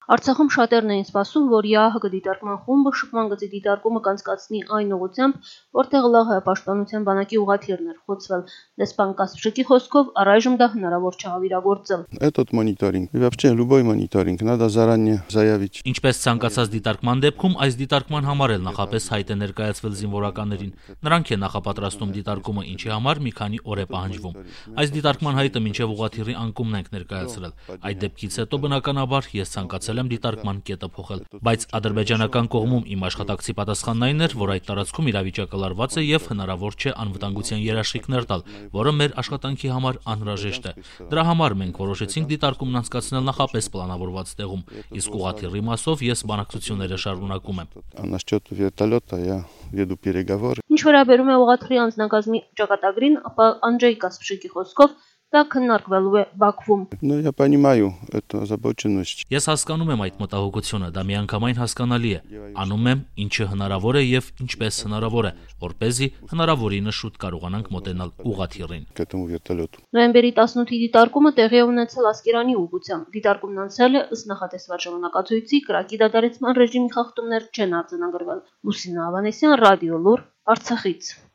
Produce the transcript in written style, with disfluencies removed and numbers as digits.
Արցախում շատերն էին սպասում, որ ԵԱՀԿ դիտարկման խումբը շփման գծի դիտարկումը կանցկացնի այն ուղղությամբ, որտեղ ԼՂՀ պաշտպանության բանակի ուղղաթիռն էր խոցվել։ Դեսպան Կասպշիկի խոսքով առայժմ դա հնարավոր չէ իրագործել։ Этот мониторинг, и вообще любой мониторинг надо заранее заявить. Ինչպես ցանկացած դիտարկման դեպքում, այս դիտարկման համար էլ նախապես հայտ է ներկայացվել զինվորականներին։ Նրանք են նախապատրաստում դիտարկումը, ինչի համար մի քանի օր է պահանջվում։ Այս դիտարկման հայտը մինչև ուղղաթիռի անկումն ենք ներկայացրել։ Այդ դեպքից հետո բնականաբար ես ցանկացել եմ դիտարկման կետը փոխել, բայց ադրբեջանական կողմում իմ աշխատակցի պատասխանն այն էր, որ այդ տարածքում իրավիճակը լարված է եւ հնարավոր չէ անվտանգության երաշխիքներ տալ, որը մեր աշխատանքի համար անհրաժեշտ է։ Դրա համար մենք որոշեցինք դիտարկումն անցկացնել նախապես պլանավորված տեղում, իսկ ուղղաթիռի մասով ես բանակցությունները շարունակում եմ։ Насчет вертолета я веду переговоры. Ինչ վերաբերում է ուղղաթիռի անձնակազմի ճակատագրին, ապա Անջեյ Կասպշիկի խոսքով դա քննարկվելու է Բաքվում։ Но я понимаю эту озабоченность. Ես հասկանում եմ այդ մտահոգությունը, դա միանգամայն հասկանալի է։ Անում եմ ինչը հնարավոր է եւ ինչպես հնարավոր է, որպեսզի հնարավորինս շուտ կարողանանք մոտենալ ուղղաթիռին։ К этому вертолету. Նոյեմբերի 18-ի դիտարկումը տեղի է ունեցել Ասկերանի ուղղությամբ։ Դիտարկումն անցել է ըստ նախատեսված ժամանակացույցի, կրակի դադարեցման ռեժիմի խախտումներ չեն արձանագրվել։ Լուսինա Ավանեսյան, Ռադիո Լուր, Արցախից։